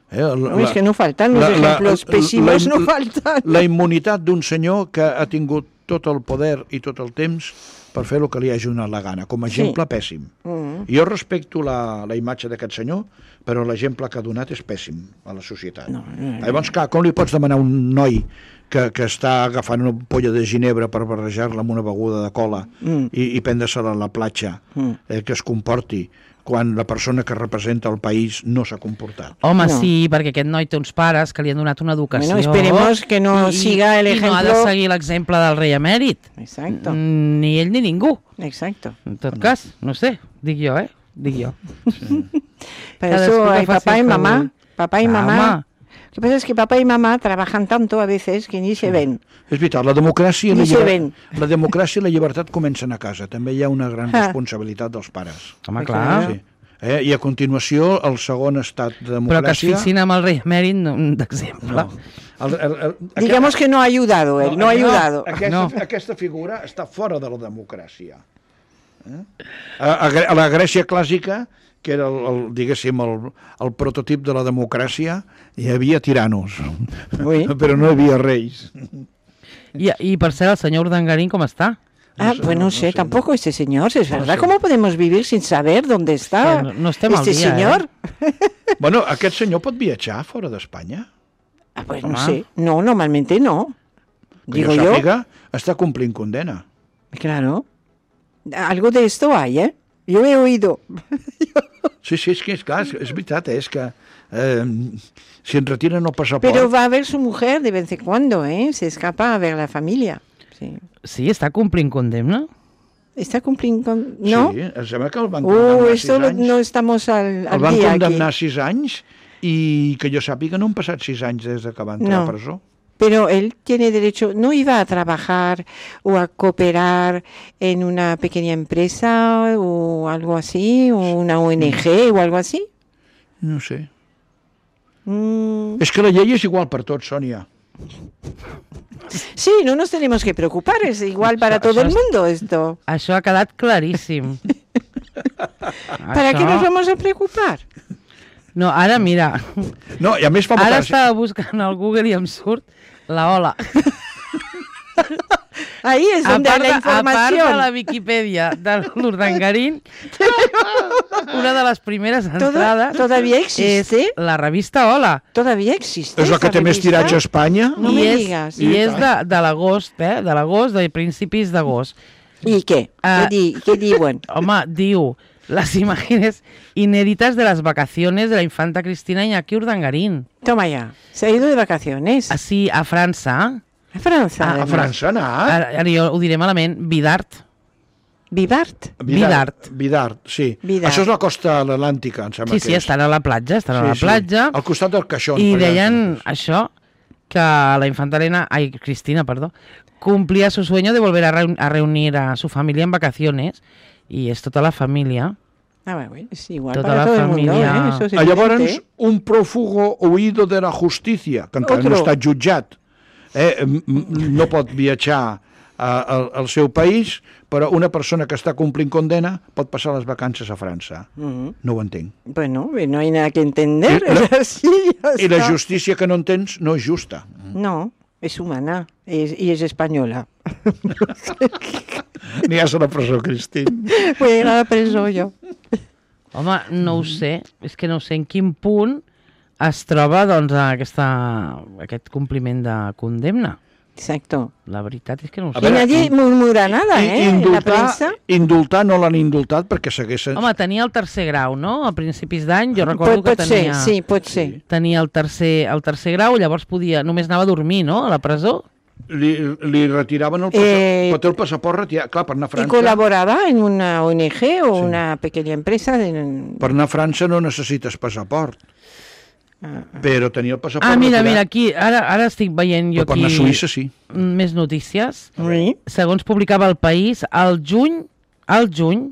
Es que no faltan los ejemplos pésimos, no faltan. La immunitat d'un senyor que ha tingut tot el poder i tot el temps per fer el que li hagi donat la gana, com a exemple pèssim. Jo respecto la imatge d'aquest senyor, però l'exemple que ha donat és pèssim a la societat. Llavors, clar, com li pots demanar a un noi que està agafant una polla de ginebra per barrejar-la amb una beguda de cola i prendre-se-la a la platja, que es comporti quan la persona que representa el país no s'ha comportat? Home, No. sí, perquè aquest noi té uns pares que li han donat una educació. Bueno, esperemos que no siga el I no ha de ejemplo. seguir l'exemple del rei emèrit. Exacto, Ni ell ni ningú. exacto. En tot cas, no sé, dic jo, dic jo. Por Cada eso escuela hay fácil papá y que mamá. voy. Papá y Ah, mamá. home. Lo que pasa es que papá y mamá trabajan tanto a veces que ni se ven. És veritat, la democràcia, Ni se ven. la democràcia i la llibertat comencen a casa. També hi ha una gran responsabilitat dels pares. Home, Clar. clar. Sí. I a continuació, el segon estat de Però que es democràcia... fixin amb el rei emèrit d'exemple. No. Digamos que no ha ayudado él, no ha ayudado. Aquesta figura està fora de la democràcia. A la Grècia clàssica, que era, diguéssim, el prototip de la democràcia, hi havia tiranos, Oui. però no hi havia reis. I per cert, el senyor Urdangarín com està? Ah, pues no sé, tampoco este señor, es verdad. ¿Cómo podemos vivir sin saber dónde está No estem al este dia, señor? Bueno, aquest senyor pot viatjar fora d'Espanya? Ah, pues no Home. sé. No, normalmente no. Que Digo jo yo. sàpiga, està complint condena. Claro. Algo de esto hay, ¿eh? Yo he oído. Sí, és que és clar, és veritat, és que si ens retiren el passaport... Pero va a ver su mujer de vez en cuando, ¿eh? Se escapa a ver la familia. Sí. Sí, està complint condemna? ¿Está cumpliendo con...? ¿No? Sí, em sembla que el van condemnar 6 esto anys. no estamos al El van día condemnar aquí. 6 anys i que jo sàpiga no han passat 6 anys des que va entrar No. a presó. Pero él tiene derecho, ¿no iba a trabajar o a cooperar en una pequeña empresa o algo así, o una ONG o algo así? No sé. Mm, És que la llei és igual per tots, Sònia. sí, no nos tenemos que preocupar, es igual para todo el mundo esto. Això ha quedat claríssim. ¿Para qué nos vamos a preocupar? No, ara mira, No, i a més fa ara molta... estava buscant al Google i em surt la ola. Ahí es donde hay la A part de información. la Viquipèdia de l'Urdangarín, una de les primeres entrades ¿Todavía és existe? la revista Hola. ¿Todavía existe? És la que esa té més revista? tiratge a Espanya. No me digas. I és de l'agost, de l'agost, de principis d'agost. ¿Y qué? Ah. ¿Qué diuen? Home, diu, las imágenes inéditas de las vacaciones de la infanta Cristina Iñaki Urdangarín. Toma ya, se ha ido de vacaciones. Així, a França, A França, A además. França anar. ara jo ho diré malament, Vidart. Vivart. Vidart, sí. Vidart. Això és la costa atlàntica, em sembla Sí, que sí, és. estan a la platja, Al costat del Caixón. I per allà. deien això, que la infanta Cristina, cumplía su sueño de volver a reunir a su familia en vacaciones, y es toda la familia. Ah, bueno, es igual Toda para la todo el mundo, familia. ¿eh? Eso es Llavors, evidente. un prófugo huido de la justícia, que encara no Otro. està jutjat, no pot viatjar al seu país, però una persona que està complint condena pot passar les vacances a França. Ujú. No ho entenc. Bueno, no hay nada que entender. Y la- es así, ya I la está. justícia que no entens no és justa. No, es humana y es española. Aniràs a la presó, Cristín. Voy a ir a la preso yo. Home, no ho sé, és que no sé en quin punt es troba doncs, aquest compliment de condemna. Exacto. La veritat és que no ho A sé. Y veure, nadie murmura nada, ¿eh? En la prensa. Indultar no l'han indultat perquè s'haguessin... Home, tenia el tercer grau, no? A principis d'any jo recordo que Pot ser, tenia... sí, pot ser. Tenia el tercer grau, llavors només anava a dormir, no?, a la presó. Li retiraven el passaport, el passaport retirat, clar, per anar a Y França. colaboraba en una ONG o una pequeña empresa. Per anar a França no necessites passaport, però tenir el passaport Mira, retirat... aquí, ara estic veient jo Però per anar a aquí Suïssa, sí. més notícies. Sí, Segons publicava El País, al juny,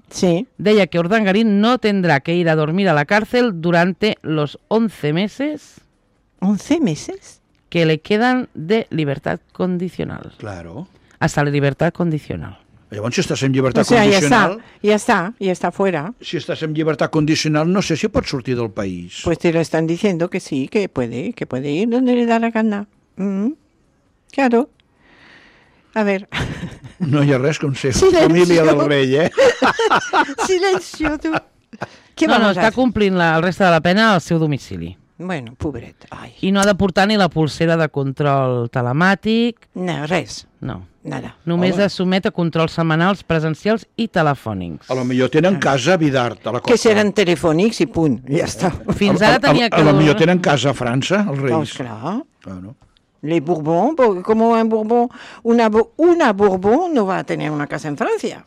sí. deia que Urdangarín no tendrá que ir a dormir a la cárcel durante los 11 meses 11 meses. que le quedan de libertad condicional. Claro. Hasta la libertad condicional. Llavors, si estàs en llibertat O sea, condicional... ya está fuera. Si estàs en llibertat condicional, no sé si pots sortir del país. Pues te lo están diciendo que sí, que puede ir donde le da la gana. Claro. A ver. No hi ha res com ser Silencio. família del rei, eh? Silencio, tú. ¿Qué No, vamos a està hacer? complint el resta de la pena al seu domicili. Bueno, pobret. Ay. I no ha de portar ni la pulsera de control telemàtic, No, res. no. Nada. Només es somet a controls setmanals, presencials i telefònics. A lo millor tenen casa a Vidart, a la costa. Que seran telefònics i punt. Ja està. Fins ara tenia que... A lo millor tenen casa a França, els Doncs reis. clar. Claro. Les Bourbons, como un Bourbon, una Bourbon no va a tener una casa en Francia.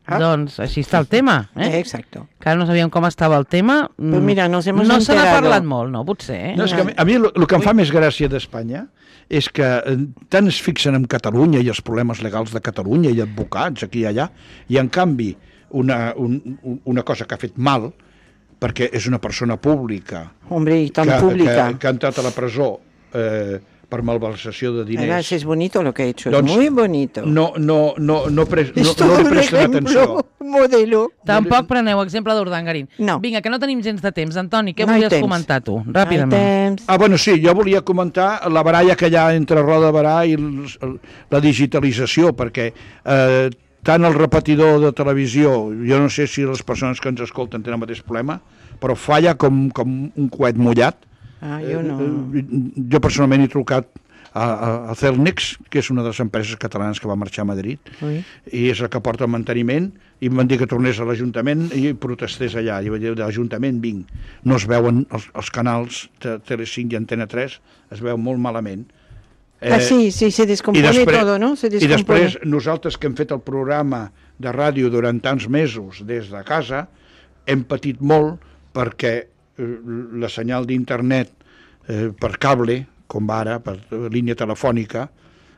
Doncs així està el tema, Exacto. Que ara no sabíem com estava el tema. Pues mira, nos hemos no se n'ha enterado. parlat molt, no? Potser. No, és que a mi el que em fa més gràcia d'Espanya és que tant es fixen en Catalunya i els problemes legals de Catalunya i advocats aquí i allà, i en canvi una cosa que ha fet mal, perquè és una persona pública, Hombre, y tan pública. que ha entrat a la presó per malversació de diners. Además, es bonito lo que ha hecho, Doncs es muy bonito. No li un presten atenció. modelo. Tampoc preneu exemple d'Urdangarín. No. Vinga, que no tenim gens de temps. Antoni, què No hi volies temps. comentar tu? No hay Ràpidament. temps. Ah, bueno, sí, jo volia comentar la baralla que hi ha entre Roda de Barà i la digitalització, perquè tant el repetidor de televisió, jo no sé si les persones que ens escolten tenen el mateix problema, però falla com un coet mullat. Ah, jo no. Jo personalment he trucat a Celnex, que és una de les empreses catalanes que va marxar a Madrid, i és el que porta el manteniment, i em van dir que tornés a l'Ajuntament i protestés allà. I vaig dir, de l'Ajuntament vinc. No es veuen els canals de Tele5 i Antena 3, es veu molt malament. Sí, se descompone todo, ¿no? Se descompone. I després, nosaltres que hem fet el programa de ràdio durant tants mesos des de casa, hem patit molt perquè la senyal d'internet per cable, com va ara, per línia telefònica,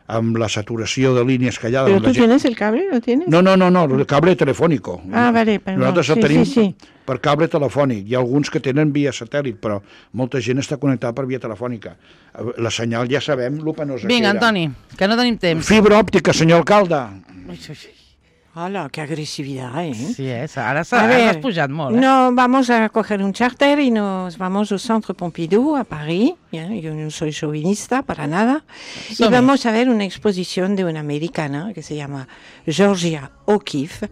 amb la saturació de línies que hi ha... ¿Pero tú tienes el cable? ¿Lo tienes? No, el cable telefònico. Ah, vale, perdó. Nosaltres el Sí, tenim sí. per cable telefònic. Hi ha alguns que tenen via satèl·lit, però molta gent està connectada per via telefònica. La senyal ja sabem lo penosa Vinga, que era. Antoni, que no tenim temps. Fibra òptica, senyor alcalde. ¡Hala, qué agresividad, eh! Sí, ara A ver, has pujat molt, eh? No, vamos a coger un charter y nos vamos al Centre Pompidou, a París. Yo no soy chauvinista para nada. Y vamos a ver una exposición de una americana que se llama Georgia O'Keeffe,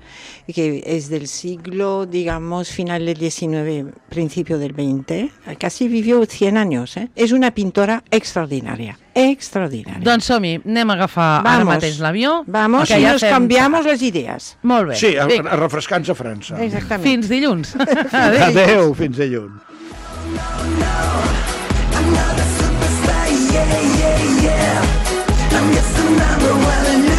que es del siglo, digamos, final del XIX, principio del XX. Casi vivió 100 años, ¿eh? Es una pintora extraordinaria. Extraordinaria. Doncs som-hi, anem a agafar ara mateix l'avió. Vamos que y ja nos fem cambiamos las ideas. Molt bé. Sí, a Vinga, refrescar-nos a França. Exactamente. fins dilluns. Adéu, fins dilluns. Another superstar, yeah, yeah, yeah. I'm just a number one.